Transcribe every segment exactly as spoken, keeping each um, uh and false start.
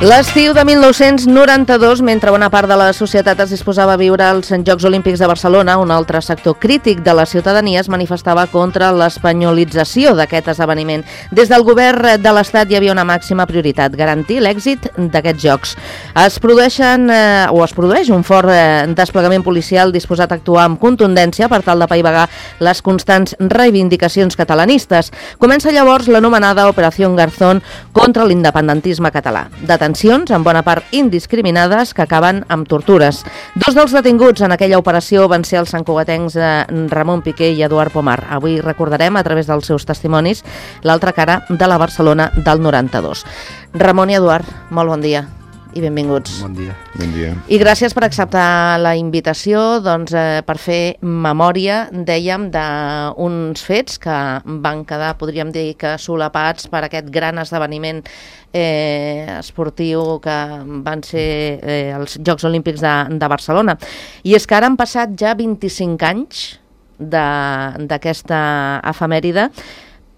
L'estiu de mil nou-cents noranta-dos, mentre bona part de la societat es disposava a viure als Jocs Olímpics de Barcelona, un altre sector crític de la ciutadania es manifestava contra l'espanyolització d'aquest esdeveniment. Des del govern de l'Estat hi havia una màxima prioritat, garantir l'èxit d'aquests Jocs. Es produeixen, eh, o es produeix un fort eh, desplegament policial disposat a actuar amb contundència per tal de paivagar les constants reivindicacions catalanistes. Comença llavors l'anomenada Operació Garzón contra l'independentisme català. Detencions, en bona part indiscriminades, que acaben amb tortures. Dos dels detinguts en aquella operació van ser els santcugatencs Ramon Piqué i Eduard Pomar. Avui recordarem, a través dels seus testimonis, l'altra cara de la Barcelona del noranta-dos. Ramon i Eduard, molt bon dia i benvinguts. Bon dia. Bon dia. I gràcies per acceptar la invitació doncs, eh, per fer memòria, dèiem, d'uns fets que van quedar, podríem dir, que solapats per aquest gran esdeveniment eh, esportiu que van ser eh, els Jocs Olímpics de, de Barcelona. I és que ara han passat ja vint-i-cinc anys d'aquesta efemèride.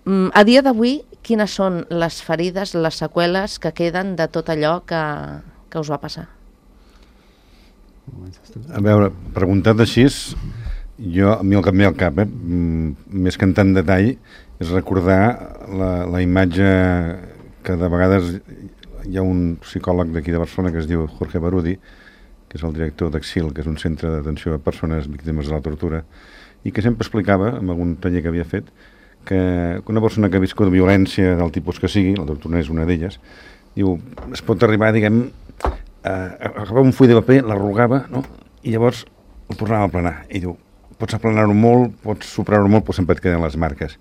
A dia d'avui, quines són les ferides, les seqüeles que queden de tot allò que, que us va passar? A veure, preguntat així, jo, a mi el que em ve al cap, eh, més que en tant detall, és recordar la, la imatge que de vegades hi ha un psicòleg d'aquí de Barcelona que es diu Jorge Barudi, que és el director d'Exil, que és un centre d'atenció a persones víctimes de la tortura, i que sempre explicava, en algun taller que havia fet, que una persona que ha viscut violència del tipus que sigui, la tortura és una d'elles, diu, es pot arribar, diguem, a agafar un full de paper, l'arrugava, no? I llavors el tornava a aplanar. I diu, pots aplanar-ho molt, pots superar-ho molt, però sempre et queden les marques.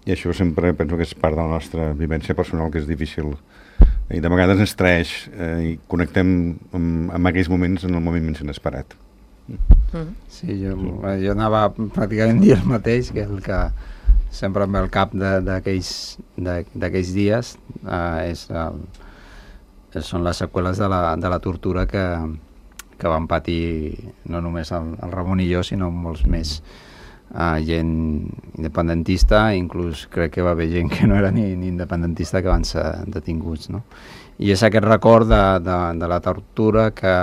I això sempre penso que és part de la nostra vivència personal, que és difícil. I de vegades ens traeix eh, i connectem amb, amb aquells moments en el moment menys inesperat. Sí, jo, jo anava pràcticament a dir el mateix, que és el que sempre em ve al cap d'aquells dies, eh, és el, són les seqüeles de la, de la tortura que, que van patir no només el, el Ramon i jo, sinó molts més. Uh, gent independentista, inclús crec que va haver gent que no era ni, ni independentista que van ser detinguts, no? I és aquest record de, de, de la tortura que,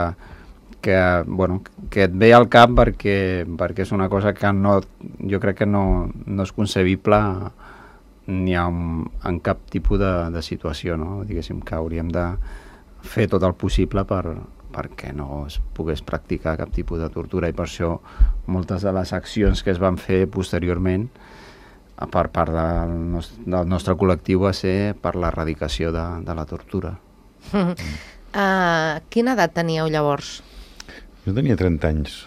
que, bueno, que et ve al cap perquè, perquè és una cosa que no, jo crec que no, no és concebible ni en, en cap tipus de, de situació, no? Diguéssim que hauríem de fer tot el possible per, perquè no es pogués practicar cap tipus de tortura, i per això moltes de les accions que es van fer posteriorment per part del nostre, del nostre col·lectiu va ser per l'erradicació de, de la tortura. Uh, quina edat teníeu llavors? Jo tenia trenta anys.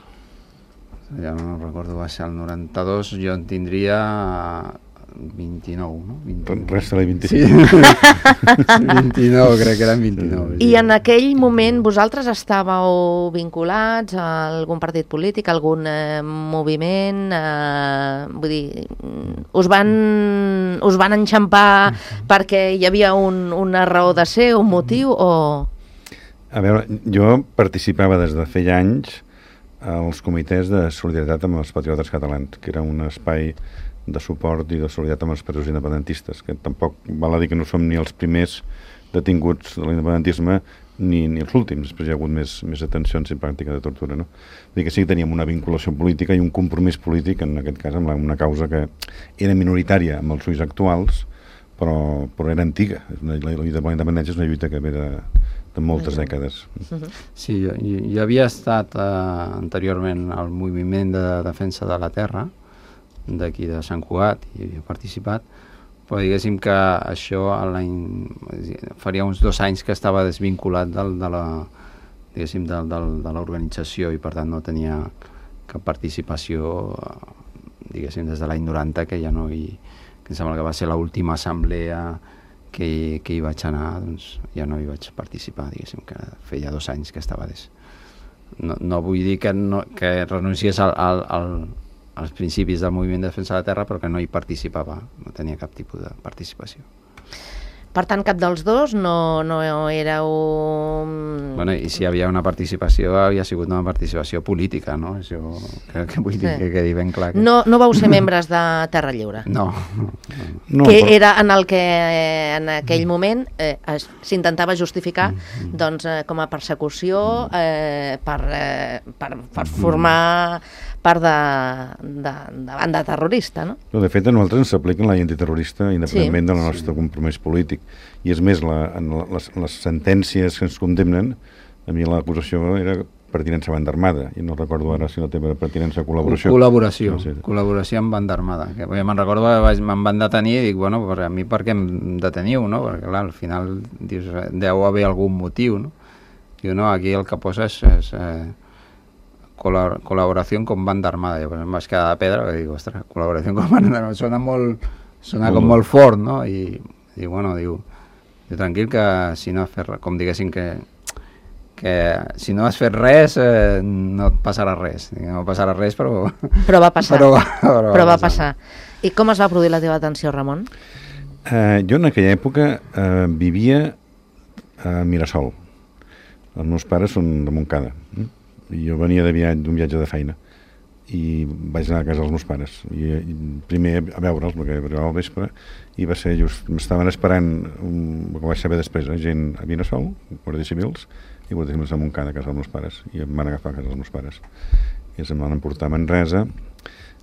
Ja no recordo, va ser el noranta-dos, jo en tindria vint-i-nou, no? vint-i-nou. Resta-li vint-i-cinc. Sí. vint-i-nou, crec que eren vint-i-nou. I en aquell moment vosaltres estàveu vinculats a algun partit polític, a algun eh, moviment? Eh, vull dir, us van, us van enxampar perquè hi havia un, una raó de ser, un motiu, o...? A veure, jo participava des de feia anys als comitès de solidaritat amb els patriotes catalans, que era un espai de suport i de solidaritat amb els patriotes independentistes, que tampoc val a dir que no som ni els primers detinguts de l'independentisme ni, ni els últims, després hi ha hagut més, més detencions i pràctica de tortura, no? Vull dir que sí que teníem una vinculació política i un compromís polític, en aquest cas amb la, una causa que era minoritària amb els ulls actuals, però, però era antiga. La, la lluita per la independència és una lluita que ve de, de moltes dècades. Sí, jo, jo havia estat eh, anteriorment al moviment de defensa de la terra d'aquí de Sant Cugat, i havia participat, però diguéssim que això faria uns dos anys que estava desvinculat del, de la diguéssim del, del, de l'organització, i per tant no tenia cap participació, diguéssim, des de l'any noranta, que ja no hi, que em sembla que va ser l'última assemblea que, que hi vaig anar, doncs ja no hi vaig participar, diguéssim, que feia dos anys que estava des, no, no vull dir que, no, que renunciés al, al, al, als principis del moviment de defensa de la terra, però que no hi participava, no tenia cap tipus de participació. Per tant, cap dels dos no, no éreu... Bueno, i si hi havia una participació, havia sigut una participació política, no? Això que, que vull dir sí. que quedi ben clar. Que... No, no vau ser membres de Terra Lliure? No. no, no. Que no, però... era en el que en aquell moment eh, s'intentava justificar mm. doncs, eh, com a persecució eh, per, eh, per, per formar part de, de, de banda terrorista, no? no de fet, a nosaltres ens s'aplica la llei antiterrorista independentment sí. del nostre sí. compromís polític. I és més, la, en les, les sentències que ens condemnen, a mi l'acusació era pertinença a banda armada, i no recordo ara si la teva pertinença a col·laboració. Col·laboració, no sé. col·laboració amb banda armada. Que me'n recordo que me'n van detenir i dic, bueno, per a mi per què em deteniu, no? Perquè clar, al final dius, deu haver algun motiu, no? Diu, no, aquí el que posa és... és eh, col·laboració amb banda armada. Jo em vaig quedar de pedra i dic, ostres, col·laboració amb banda armada, sona molt, sona com molt fort, no? I, i bueno, diu, diu, tranquil que si no has fet, com diguéssim que, que si no has fet res eh, no et passarà res. Dic, no passarà res, però... Però va passar. Però, però, però va passar. I com es va produir la teva atenció, Ramon? Uh, jo en aquella època uh, vivia a Mirasol. Els meus pares són de Montcada. I jo venia de viatge, d'un viatge de feina i vaig anar a casa dels meus pares i, i primer a veure'ls perquè arribava al vespre i va ser just m'estaven esperant, un, que vaig saber després eh, gent a Vinasol, guàrdies civils i guàrdies civils a Montcada a casa dels meus pares i em van agafar a casa dels meus pares i em van emportar a Manresa.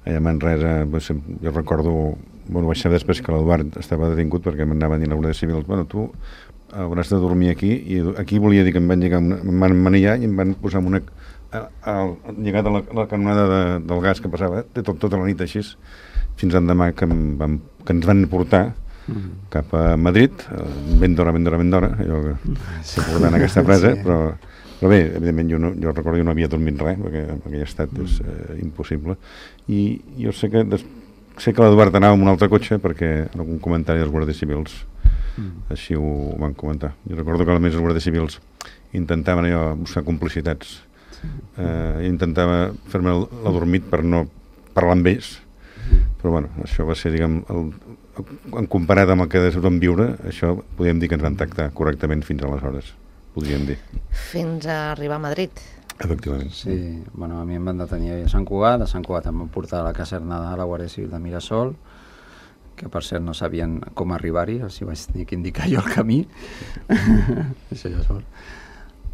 Allà a Manresa jo recordo, bueno, vaig saber després que l'Eduard estava detingut perquè m'anaven dient a guàrdies civils, bueno, tu hauràs de dormir aquí i aquí volia dir que em van llegar, em van manillar i em van posar amb una al llegat a la, la canonada de, del gas que passava eh, tot, tota la nit així fins l'endemà que, vam, que ens van portar mm. cap a Madrid eh, ben d'hora, ben d'hora, ben d'hora allò que s'ha portat en aquesta presa sí. però, però bé, evidentment jo, no, jo recordo que no havia dormit res perquè en aquell estat mm. és eh, impossible i jo sé que des, sé que l'Eduard anava amb un altre cotxe perquè en algun comentari dels guàrdies civils mm. així ho van comentar. Jo recordo que a més els guàrdies civils intentaven allò buscar complicitats. Uh, intentava fer-me l'adormit per no parlar amb ells però bueno, això va ser diguem el, en comparat amb el que vam viure això podríem dir que ens van tractar correctament fins aleshores, podríem dir fins a arribar a Madrid efectivament sí, bueno, a mi em van detenir a Sant Cugat, a Sant Cugat em van portar a la caserna de la Guàrdia Civil de Mirasol que per cert no sabien com arribar-hi o sigui vaig tenir que indicar jo el camí això ja és fort.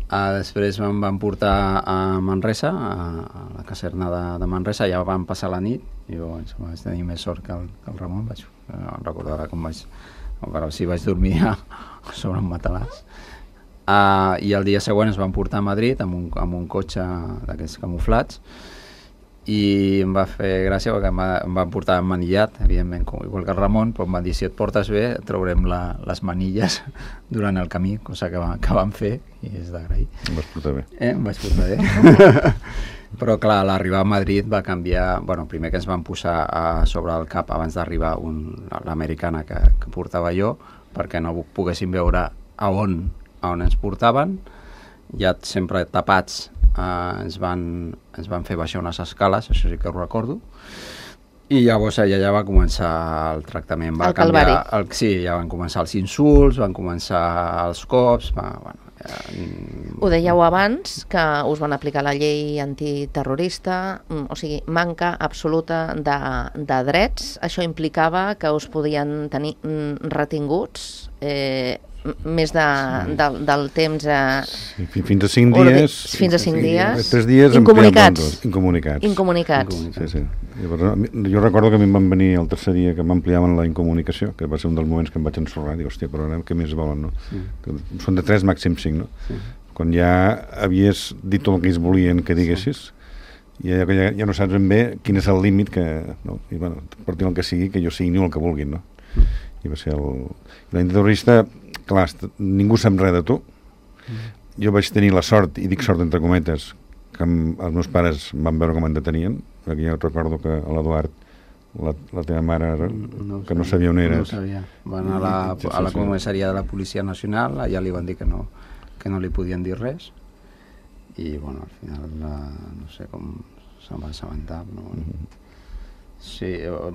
Uh, després em van portar a Manresa, a, a la caserna de, de Manresa, ja vam passar la nit, i jo vaig tenir més sort que el, que el Ramon, vaig uh, recordar com vaig, però sí vaig dormir a, sobre un matalàs. Uh, I el dia següent ens van portar a Madrid amb un, amb un cotxe d'aquests camuflats, i em va fer gràcia perquè em, va, em van portar manillat, evidentment, com, igual que el Ramon, però em van dir, si et portes bé, traurem la, les manilles durant el camí, cosa que, va, que van fer, i és d'agrair. Em vas portar bé. Eh, em vaig portar bé. Però, clar, l'arribar a Madrid va canviar... Bueno, primer que ens van posar a sobre el cap, abans d'arribar, l'americana que, que portava jo, perquè no poguéssim veure a on, a on ens portaven, ja sempre tapats. Uh, ens, van, ens van fer baixar unes escales, això sí que ho recordo, i llavors allà ja va començar el tractament. Va el calvari. El, sí, ja van començar els insults, van començar els cops... Va, bueno, ja... Ho dèieu abans, que us van aplicar la llei antiterrorista, o sigui, manca absoluta de, de drets. Això implicava que us podien tenir retinguts... Eh, més de, sí. de, del temps eh, sí, fins a cinc dies fins a cinc dies, tres dies incomunicats. incomunicats incomunicats sí, sí. Llavors, jo recordo que a mi em van venir el tercer dia que m'ampliaven la incomunicació, que va ser un dels moments que em vaig ensorrar, dic, hòstia, però ara què més volen, no? Sí. Que són de tres, màxim cinc, no? Sí. Quan ja havies dit tot el que ells volien que diguessis, sí. ja, ja, ja no saps ben bé quin és el límit que, no? I bueno, per dir el que sigui, que jo signi el que vulguin, no? Mm. I va ser el... L'antiterrorista, clar, ningú sap res de tu. Mm. Jo vaig tenir la sort, i dic sort entre cometes, que amb, els meus pares van veure com em detenien, perquè jo recordo que a l'Eduard, la, la teva mare, no que no sabia on eres. No sabia. Van a la, a la comissaria de la Policia Nacional, allà li van dir que no, que no li podien dir res, i bueno, al final la, no sé com se'n va assabentar, però bueno. Mm-hmm. Sí,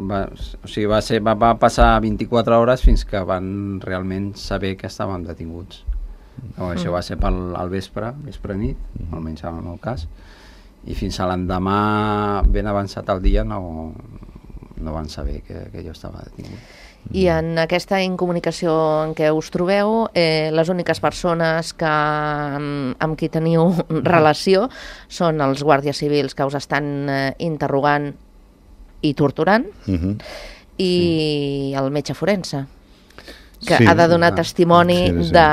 va, o sigui, va, ser, va, va passar vint-i-quatre hores fins que van realment saber que estàvem detinguts. Mm. Això va ser pel, al vespre, vespre nit, mm. almenys en el meu cas, i fins a l'endemà, ben avançat el dia, no, no van saber que, que jo estava detingut. I en aquesta incomunicació en què us trobeu, eh, les úniques persones que, amb, amb qui teniu relació són els guàrdies civils que us estan eh, interrogant i torturant, uh-huh. i sí. el metge forense, que sí, ha de donar testimoni sí, sí. De,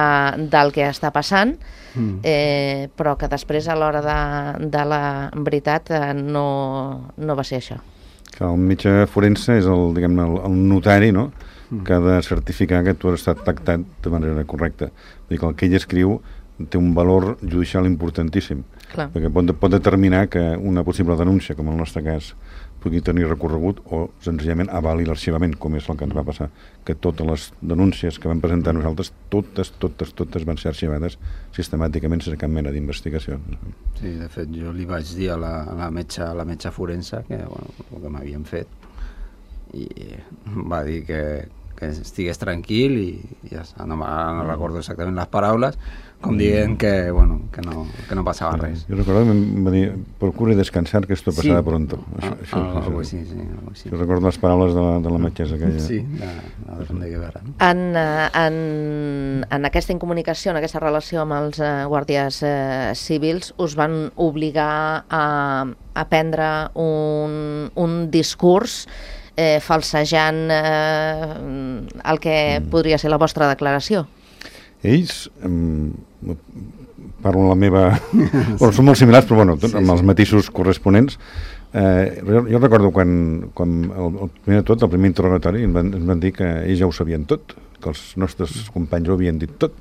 del que està passant, mm. eh, però que després, a l'hora de, de la veritat, eh, no, no va ser això. Que el metge forense és el, diguem, el, el notari, no?, mm. que ha de certificar que tu has estat tractat de manera correcta. Vull dir que el que ell escriu té un valor judicial importantíssim, clar. Perquè pot, pot determinar que una possible denúncia, com en el nostre cas, pugui tenir recorregut o senzillament avali l'arxivament, com és el que ens va passar, que totes les denúncies que vam presentar nosaltres, totes, totes, totes van ser arxivades sistemàticament sense cap mena d'investigació. Sí, de fet, jo li vaig dir a la, a la, metge, a la metge forense que, bueno, el que m'havien fet, i va dir que, que estigués tranquil i ja està, no, no recordo exactament les paraules, com dient que, bueno, que, no, que no passava sí, res. Jo recordo que em va dir, procura descansar, que esto pasarà sí. pronto. Això, ah, això, ah, això, sí, sí, sí. Jo recordo les paraules de la, de la metgessa aquella. Sí, de, de, de Guevara. No? En, en, en aquesta incomunicació, en aquesta relació amb els eh, guàrdies eh, civils, us van obligar a, a prendre un, un discurs eh, falsejant eh, el que mm. podria ser la vostra declaració. Ells, um, parlo la meva... bueno, són molt similars, però bueno, tot, sí, amb els matisos corresponents. Eh, jo, jo recordo quan, quan el, el primer de tot, el primer interrogatori, ens van, ens van dir que ells ja ho sabien tot, que els nostres companys ho havien dit tot,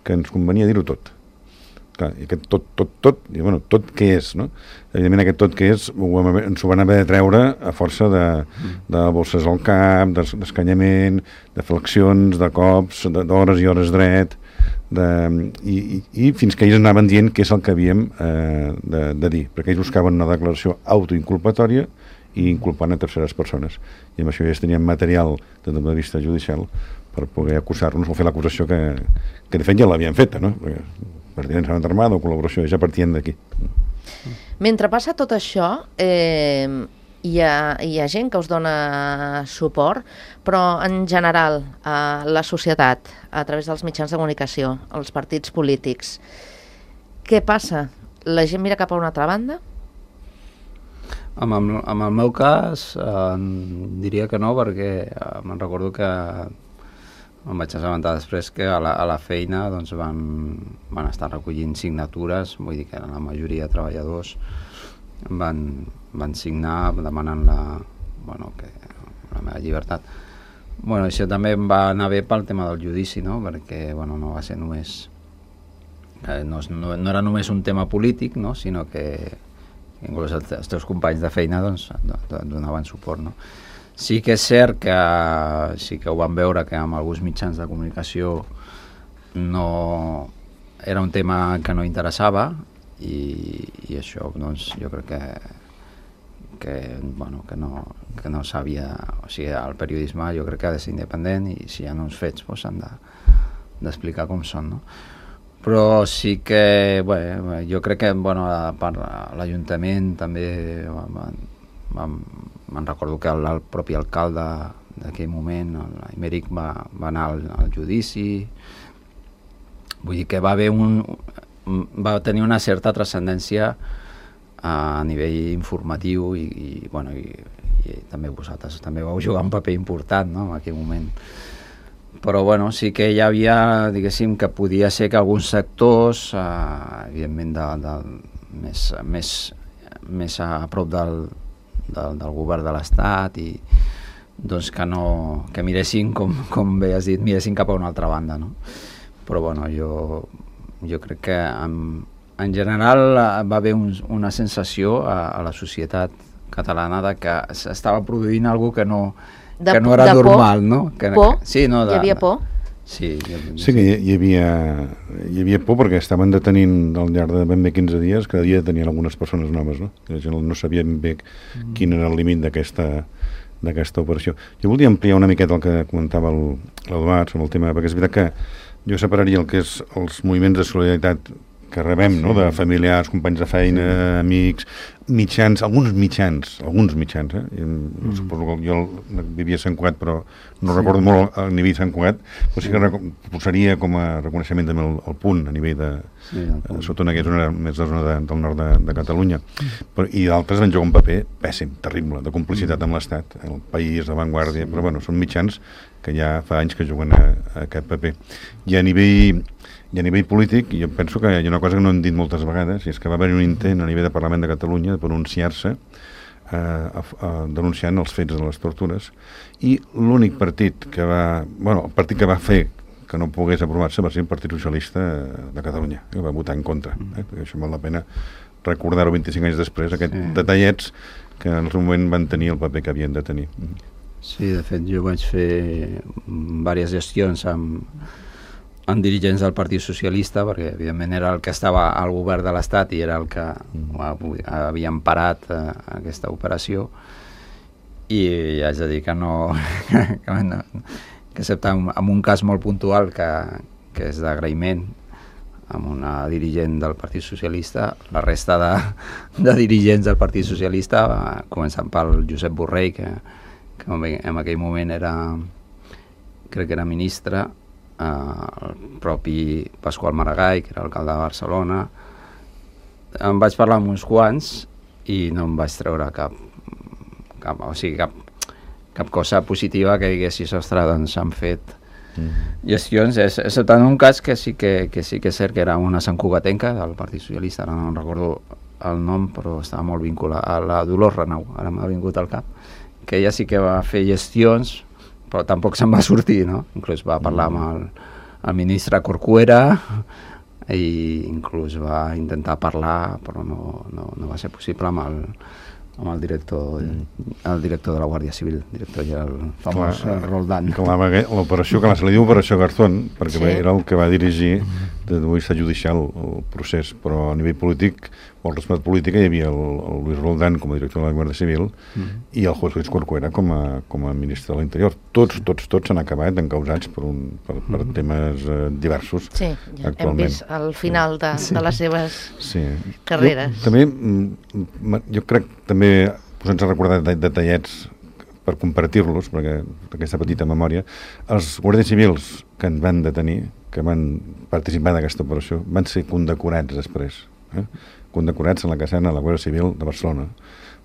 que ens convenia dir-ho tot. Clar, i aquest tot, tot, tot, i bueno, tot què és, no? Evidentment aquest tot què és ho hem, ens ho van haver de treure a força de, de bosses al cap, d'escanyament, de flexions, de cops, d'hores i hores dret, de, i, i, i fins que ells anaven dient què és el que havíem eh, de, de dir, perquè ells buscaven una declaració autoinculpatòria i inculpant a terceres persones. I amb això ja tenien material des del punt de vista judicial per poder acusar-nos o fer l'acusació que, que de fet ja l'havien feta, no? Perquè pertinença armada o col·laboració, ja partien d'aquí. Mentre passa tot això, eh, hi, ha, hi ha gent que us dona suport, però en general eh, la societat, a través dels mitjans de comunicació, els partits polítics, què passa? La gent mira cap a una altra banda? Amb el, amb el meu cas, eh, diria que no, perquè eh, me'n recordo que em vaig assabentar després que a la, a la feina doncs, van, van estar recollint signatures, vull dir que la majoria de treballadors van, van signar demanant la, bueno, que, la meva llibertat. Bueno, això també em va anar bé pel tema del judici, no? Perquè bueno, no va ser només... Eh, no, no, no era només un tema polític, no? Sinó que inclús els, els teus companys de feina doncs, donaven suport, no? Sí que és cert que sí que ho vam veure que amb alguns mitjans de comunicació no era un tema que no interessava i, i això doncs jo crec que que, bueno, que no, que no s'havia, o sigui, el periodisme jo crec que ha de ser independent i si hi ha uns fets doncs s'han de, d'explicar com són, no? Però sí que bé, jo crec que bueno, a part, l'Ajuntament també van, van, me'n recordo que el, el propi alcalde d'aquell moment, l'Aimeric, va, va anar al, al judici. Vull dir que va haver un, va tenir una certa transcendència a nivell informatiu i, i, bueno, i, i també vosaltres també vau jugar un paper important, no?, en aquell moment. Però bueno, sí que hi havia, diguéssim, que podia ser que alguns sectors, eh, evidentment de, de, més, més, més a prop del Del, del govern de l'Estat i doncs que no que miressin, com, com bé has dit, miressin cap a una altra banda, no? Però bueno, jo, jo crec que en, en general va haver un, una sensació a, a la societat catalana de que s'estava produint alguna que no, de, que no era de normal, por? No? Que, por? Que, sí, no, de, Hi havia por? Sí, sí que hi, hi, havia, hi havia por perquè estaven detenint al llarg de ben bé quinze dies, cada dia detenien algunes persones noves, no? La gent no sabia ben bé quin era el límit d'aquesta d'aquesta operació. Jo volia ampliar una miqueta el que comentava l'Eduard sobre el tema, perquè és veritat que jo separaria el que és els moviments de solidaritat que rebem, no?, de familiars, companys de feina, amics, mitjans, alguns mitjans, alguns mitjans, eh? Mm. Suposo que jo vivia a Sant Cugat, però no sí. recordo molt el nivell de Sant Cugat, però sí que posaria com a reconeixement també el, el punt a nivell de... Sí, eh, sota una zona més de zona de, del nord de, de Catalunya. Però, i d'altres van jugar un paper pèssim, terrible, de complicitat amb l'Estat, el País, la Vanguardia, sí. però bueno, són mitjans que ja fa anys que juguen a, a aquest paper. I a nivell... I a nivell polític, jo penso que hi ha una cosa que no hem dit moltes vegades, i és que va haver un intent a nivell de Parlament de Catalunya de pronunciar-se eh, a, a, denunciant els fets de les tortures, i l'únic partit que va... Bueno, el partit que va fer que no pogués aprovar-se va ser el Partit Socialista de Catalunya, que va votar en contra. Eh? Això val la pena recordar-ho vint-i-cinc anys després, aquests sí. detallets que en el seu moment van tenir el paper que havien de tenir. Sí, de fet, jo vaig fer diverses gestions amb amb dirigents del Partit Socialista, perquè evidentment era el que estava al govern de l'Estat i era el que mm. havien parat eh, aquesta operació, i haig de dir que no, que, no, que excepte en, en un cas molt puntual que, que és d'agraïment amb una dirigent del Partit Socialista, la resta de, de dirigents del Partit Socialista, començant pel Josep Borrell, que, que en aquell moment era, crec que era ministre, Uh, el propi Pasqual Maragall, que era alcalde de Barcelona. Em vaig parlar amb uns quants i no em vaig treure cap, cap, o sigui, cap, cap cosa positiva que diguessis, ostres, doncs s'han fet mm. gestions, excepte en un cas que sí que, que sí que és cert que era una santcugatenca del Partit Socialista, ara no recordo el nom, però estava molt vinculat a la Dolors Renau, ara m'ha vingut al cap, que ella sí que va fer gestions, però tampoc se'n va sortir, no? Inclús va parlar amb el, el ministre Corcuera i inclús va intentar parlar, però no, no, no va ser possible amb el, amb el director, el director de la Guàrdia Civil, el director ja el famós clar, Roldán. L'operació, que se li diu Operació Garzón, perquè sí. era el que va dirigir de vista judicial el procés, però a nivell polític, o el respecte polític, hi havia el, el Luis Roldán com a director de la Guàrdia Civil mm. i el José Luis Corcuera com a, com a ministre de l'Interior. Tots, tots, tots s'han acabat encausats per, un, per, per mm. temes eh, diversos. Sí, ja hem vist al final de, sí. de les seves sí. carreres. Jo, també, jo crec, també, posant-se a recordar detallets per compartir-los, perquè aquesta petita memòria, els guàrdies civils que en van detenir, que van participar d'aquesta operació, van ser condecorats després, eh? condecorats en la caserna de la Guàrdia Civil de Barcelona,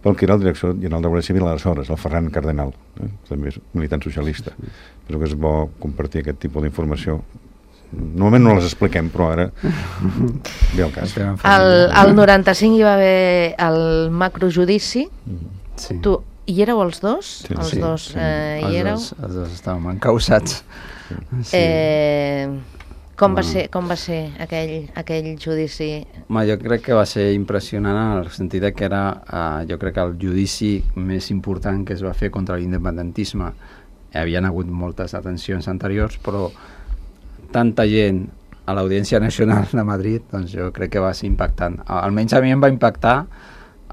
pel que era el director general de la Guàrdia Civil aleshores, el Ferran Cardenal, eh? també és militant socialista. Penso que és bo compartir aquest tipus d'informació. Normalment no les expliquem, però ara ve el cas. El, el noranta-cinc hi va haver el macrojudici. Sí. Tu hi éreu els dos? Sí, els sí, dos sí. Eh, hi els éreu? Dos, els dos estàvem encausats. Sí. Eh, com, va ser, com va ser aquell, aquell judici? Ma, jo crec que va ser impressionant en el sentit que era, eh, jo crec que el judici més important que es va fer contra l'independentisme. Hi havien hagut moltes detencions anteriors, però tanta gent a l'Audiència Nacional de Madrid, doncs jo crec que va ser impactant. Almenys a mi em va impactar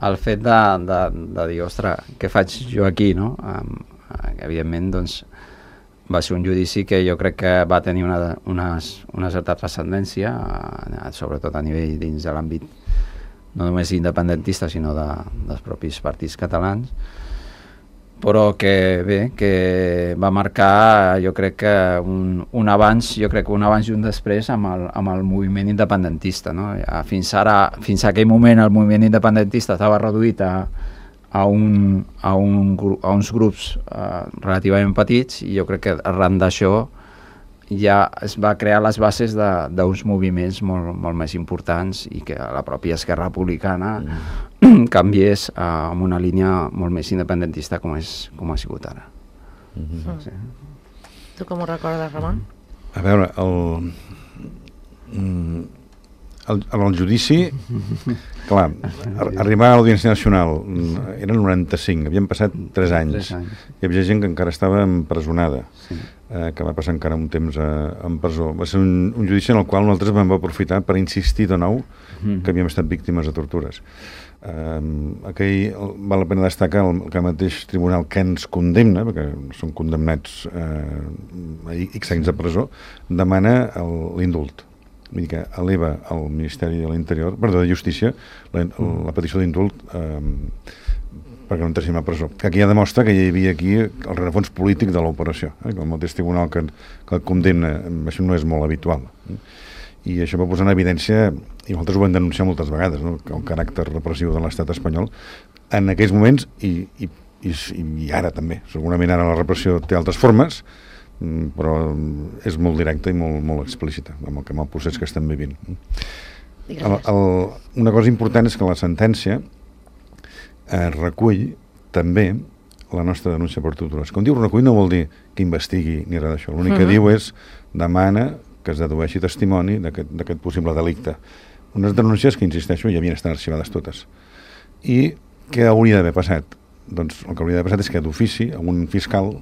el fet de, de, de dir, ostres, què faig jo aquí, no? Um, evidentment, doncs, va ser un judici que jo crec que va tenir una, una, una certa transcendència, uh, sobretot a nivell dins de l'àmbit no només independentista, sinó de, dels propis partits catalans, però que bé, que va marcar, jo crec que un, un abans, jo crec que un abans i un després amb el, amb el moviment independentista, no? Fins ara, fins a aquell moment el moviment independentista estava reduït a, a, un, a, un, a uns grups eh, relativament petits, i jo crec que arran d'això ja es va crear les bases d'uns moviments molt, molt més importants, i que la pròpia Esquerra Republicana mm. canviés uh, amb una línia molt més independentista com, és, com ha sigut ara. Mm-hmm. Sí. Tu com ho recordes, Ramon? A veure, el, el, el judici, clar, arribar a l'Audiència Nacional era el noranta-cinc, havien passat tres anys. Hi havia gent que encara estava empresonada, sí. eh, que va passar encara un temps a, en presó. Va ser un, un judici en el qual nosaltres vam aprofitar per insistir de nou que havíem estat víctimes de tortures. Um, aquell, val la pena destacar el, que el mateix tribunal que ens condemna, perquè són condemnats uh, a X anys de presó, demana l'indult. Vull dir que eleva al Ministeri de l'Interior, perdó, de Justícia, la, la petició d'indult um, perquè no entressin a presó. Que aquí ja demostra que hi havia aquí el rerefons polític de l'operació, eh? El mateix tribunal que, que el condemna, això no és molt habitual. Eh? I això va posar en evidència, i nosaltres ho vam denunciar moltes vegades, no? El caràcter repressiu de l'estat espanyol en aquells moments i, i, i, i ara també. Segurament ara la repressió té altres formes, però és molt directa i molt, molt explícita amb el, amb el procés que estem vivint. El, el, una cosa important és que la sentència eh, recull també la nostra denúncia per tortures. Quan diu recull no vol dir que investigui ni res d'això. L'únic que uh-huh. diu és demana que es dedueixi testimoni d'aquest possible delicte. Unes denúncies que, insisteixo, ja havien estat arxivades totes. I què hauria d'haver passat? Doncs el que hauria d'haver passat és que d'ofici un fiscal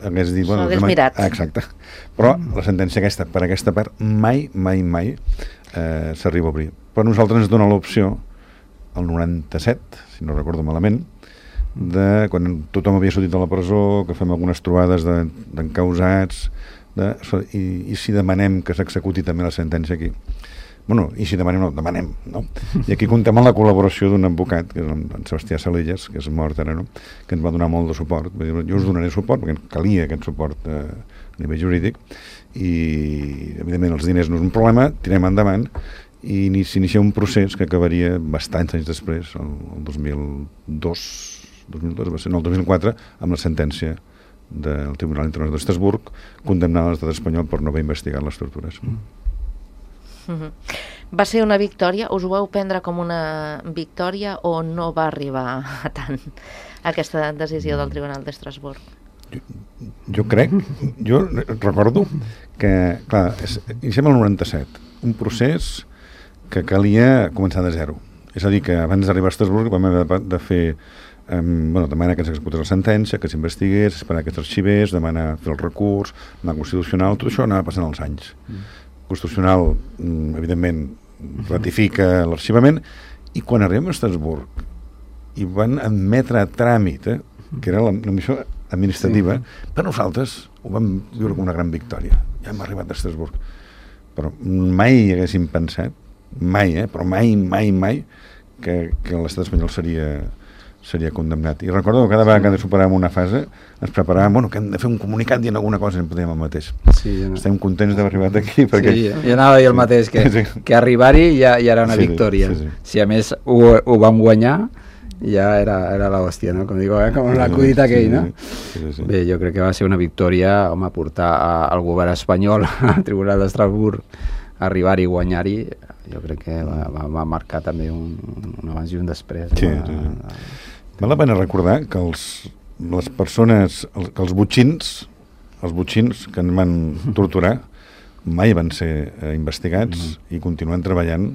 hagués dit... Bueno, hagués mirat. Ah, exacte. Però la sentència aquesta, per aquesta part, mai, mai, mai eh, s'arriba a obrir. Però nosaltres ens dona l'opció, el noranta-set, si no recordo malament, de quan tothom havia sortit de la presó, que fem algunes trobades d'encausats, de, i, i si demanem que s'executi també la sentència aquí. Bueno, i si demanem, no, demanem, no? I aquí contem amb la col·laboració d'un advocat, que és en Sebastià Salelles, que és mort ara, no? Que ens va donar molt de suport. Jo us donaré suport, perquè calia aquest suport eh, a nivell jurídic, i evidentment els diners no és un problema, tirem endavant, i s'inicia un procés que acabaria bastants anys després, el, el dos mil dos, dos mil dos va ser, no, el dos mil quatre, amb la sentència del Tribunal Internacional d'Estrasburg, condemnant l'estat espanyol per no haver investigat les tortures. Mm. Mm-hmm. Va ser una victòria? Us ho vau prendre com una victòria o no va arribar a tant aquesta decisió del Tribunal d'Estrasburg? Jo, jo crec, jo recordo que, clar, és, iniciem el noranta-set, un procés que calia començar de zero. És a dir, que abans d'arribar a Estrasburg vam haver de, de fer Um, bueno, demanar que s'executés la sentència, que s'investigués, esperar que s'arxivés, demanar fer el recurs, anar constitucional, tot això anava passant els anys. Mm. Constitucional, mm, evidentment, ratifica l'arxivament, i quan arribem a Estrasburg i van admetre a tràmit, eh, que era la, la missió administrativa, sí. Per nosaltres ho vam viure com una gran victòria. Ja hem arribat a Estrasburg. Però mai haguéssim pensat, mai, eh, però mai, mai, mai, que, que l'estat espanyol seria... seria condemnat. I recordo que cada vegada que superàvem una fase ens preparàvem, bueno, que hem de fer un comunicat dient alguna cosa i en podíem el mateix. Sí, no. Estem contents d'haver arribat aquí perquè... Sí, jo anava a dir el mateix, que, sí. que arribar-hi ja, ja era una sí, victòria. Sí, sí. Si a més ho, ho vam guanyar, ja era, era l'hòstia, no? Com dic, eh? Com l'acudit aquell, no? Sí, sí, sí. Bé, jo crec que va ser una victòria, home, portar al govern espanyol al Tribunal d'Estrasburg, arribar-hi i guanyar-hi, jo crec que va, va, va marcar també un, un abans i un després. Sí, no? sí, sí. Val la pena recordar que els, les persones, els, que els botxins, els botxins que ens van torturar mai van ser eh, investigats mm. i continuen treballant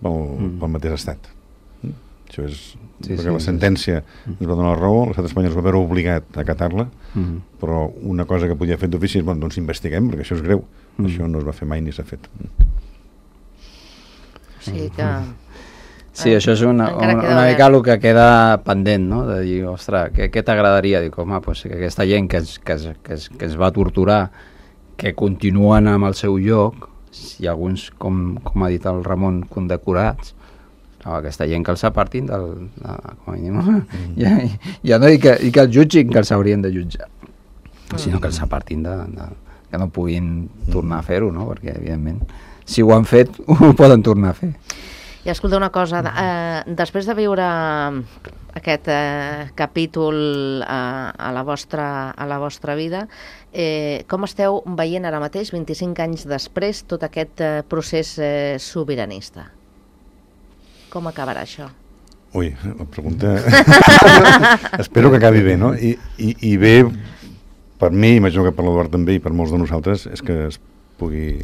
pel, mm. pel mateix estat. Mm? Això és... Sí, perquè sí, la sentència sí. ens va donar la raó, l'estat espanyol es va veure obligat a acatar-la, mm. però una cosa que podia fer d'ofici és, bueno, doncs investiguem, perquè això és greu. Mm. Això no es va fer mai ni s'ha fet. Sí, que... Sí, això és una, una, una mica el que queda pendent, no? De dir, ostres, què, què t'agradaria? Dic, home, pues, que aquesta gent que es, que, es, que, es, que es va torturar, que continuen amb el seu lloc, i alguns, com, com ha dit el Ramon, condecorats, no, aquesta gent que els apartin del... De, com a mínim, mm. ja, ja no dic que, i que els jutgin, que els haurien de jutjar, mm. sinó que els apartin de, de... que no puguin tornar a fer-ho, no? Perquè, evidentment, si ho han fet, ho poden tornar a fer. I escolta una cosa, eh, després de viure aquest eh, capítol eh, a, la vostra, a la vostra vida, eh, com esteu veient ara mateix, vint-i-cinc anys després, tot aquest eh, procés eh, sobiranista? Com acabarà això? Ui, la pregunta... Espero que acabi bé, no? I, i, i bé, per mi, imagino que per l'Eduard també i per molts de nosaltres, és que es pugui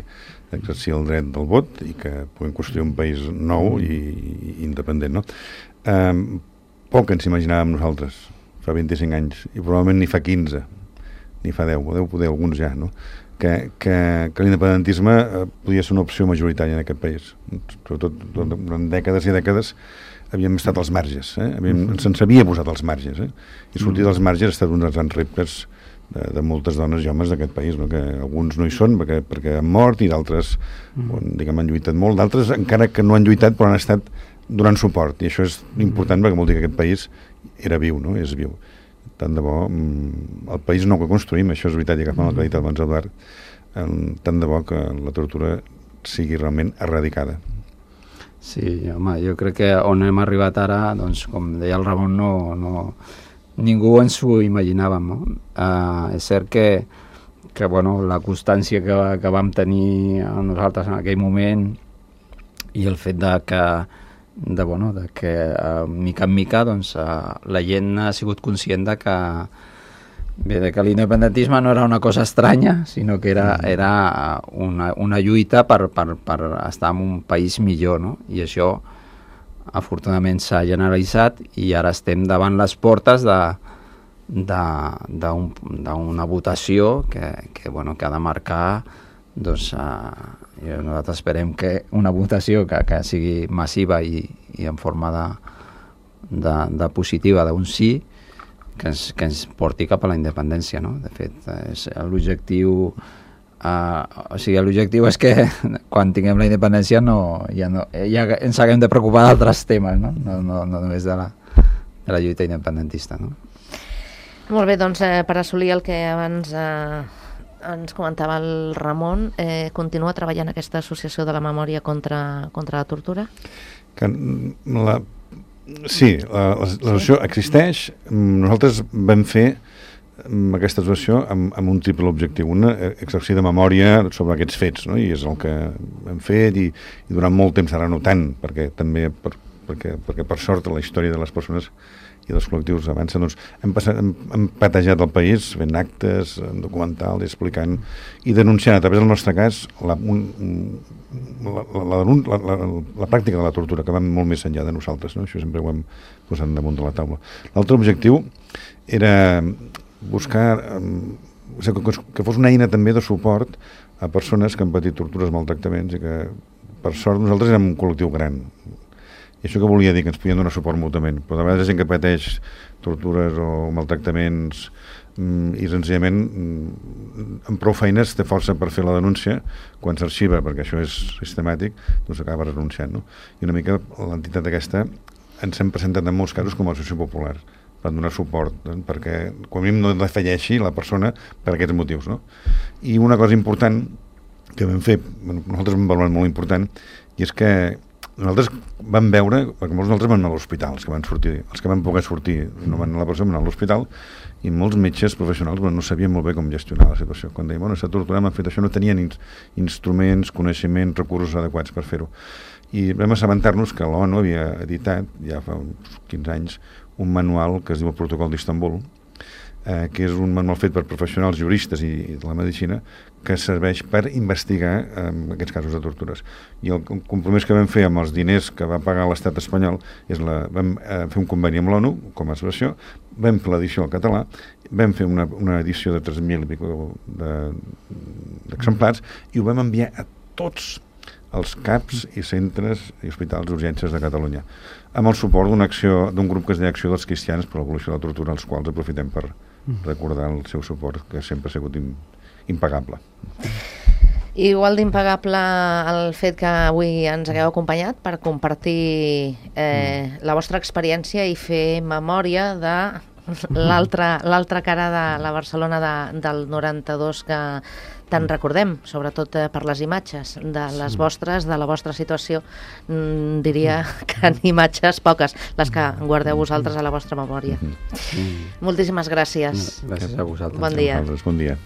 d'exercir el dret del vot i que puguem construir un país nou i, i independent, no? Um, poc ens imaginàvem nosaltres fa vint-i-cinc anys, i probablement ni fa quinze, ni fa deu, o deu poder alguns ja, no? Que, que, que l'independentisme eh, podia ser una opció majoritària en aquest país. Sobretot durant dècades i dècades havíem estat als marges, eh? Havíem, se'ns havia posat als marges, eh? I sortir dels marges ha estat un dels grans reptes de, de moltes dones i homes d'aquest país, no? Que alguns no hi són perquè, perquè han mort i d'altres mm. diguem, han lluitat molt, d'altres encara que no han lluitat però han estat donant suport, i això és important perquè vol dir que aquest país era viu, no? És viu. Tant de bo, el país nou que construïm, això és veritat, i agafant el que ha dit abans Eduard, tant de bo que la tortura sigui realment erradicada. Sí, home, jo crec que on hem arribat ara, doncs, com deia el Ramon, no, no, ningú ens ho imaginàvem, no? Uh, és cert que, que bueno, la constància que, que vam tenir nosaltres en aquell moment i el fet de que de, bueno, de que uh, mica en mica doncs, uh, la gent ha sigut conscient de que, bé, de que l'independentisme no era una cosa estranya, sinó que era, era una, una lluita per, per, per estar en un país millor, no? I això afortunadament s'ha generalitzat i ara estem davant les portes de d'una votació que, que, bueno, que ha de marcar, doncs, uh, nosaltres esperem que una votació que, que sigui massiva i, i en forma de, de, de positiva d'un sí, que ens, que ens porti cap a la independència, no? De fet, és l'objectiu uh, o sigui, l'objectiu és que quan tinguem la independència no, ja, no, ja ens haguem de preocupar d'altres temes, no? No, no, no només de la, de la lluita independentista, no? Molt bé, doncs eh, per assolir el que abans eh, ens comentava el Ramon, eh, continua treballant aquesta associació de la memòria contra, contra la tortura? Que la, sí, l'associació sí? existeix. Nosaltres vam fer aquesta associació amb, amb un triple objectiu. Una, exercir de memòria sobre aquests fets, no? I és el que hem fet i, i durant molt temps, ara no tant, perquè també per, perquè, perquè per sort la història de les persones i dels col·lectius avança, doncs hem, passat, hem, hem patejat el país fent actes, documentals, explicant i denunciant a través del nostre cas la, un, la, la, la, la, la pràctica de la tortura, que va molt més enllà de nosaltres, no? Això sempre ho hem posat damunt de la taula. L'altre objectiu era buscar o sigui, que fos una eina també de suport a persones que han patit tortures, maltractaments, i que per sort nosaltres érem un col·lectiu gran. I això que volia dir, que ens podien donar suport mútuament, però de vegades gent que pateix tortures o maltractaments mm, i senzillament mm, amb prou feines té força per fer la denúncia, quan s'arxiva, perquè això és sistemàtic, doncs acaba renunciant, no? I una mica l'entitat aquesta ens hem presentat en molts casos com a associació popular per donar suport, doncs, perquè quan a mi no defalleixi la persona per aquests motius, no? I una cosa important que vam fer, bueno, nosaltres vam valorar molt important, i és que nosaltres vam veure, perquè molts nosaltres van anar a l'hospital, els que van sortir, els que van poder sortir, no van anar a la presó, van anar a l'hospital, i molts metges professionals bueno, no sabien molt bé com gestionar la situació. Quan deien, bueno, s'ha torturat, m'han fet això, no tenien in instruments, coneixements, recursos adequats per fer-ho. I vam assabentar-nos que l'ONU havia editat, ja fa uns quinze anys, un manual que es diu el Protocol d'Istanbul, eh, que és un manual fet per professionals juristes i, i de la medicina, que serveix per investigar eh, aquests casos de tortures. I el compromís que vam fer amb els diners que va pagar l'estat espanyol és la, vam eh, fer un conveni amb l'ONU com a associació, vam fer l'edició al català, vam fer una, una edició de tres mil i pico d'exemplars de, i ho vam enviar a tots els CAPs i centres i hospitals d'urgències de Catalunya, amb el suport d'una acció d'un grup que es deia Acció dels Cristians per l'Abolició de la Tortura, els quals aprofitem per recordar el seu suport, que sempre ha sigut impagable. Igual d'impagable el fet que avui ens hagueu acompanyat per compartir eh, la vostra experiència i fer memòria de l'altra cara de la Barcelona de, del noranta-dos que tant recordem, sobretot eh, per les imatges de les vostres, de la vostra situació. Mm, diria que en imatges poques, les que guardeu vosaltres a la vostra memòria. Mm. Moltíssimes gràcies. Gràcies a vosaltres. Bon dia. Bon dia.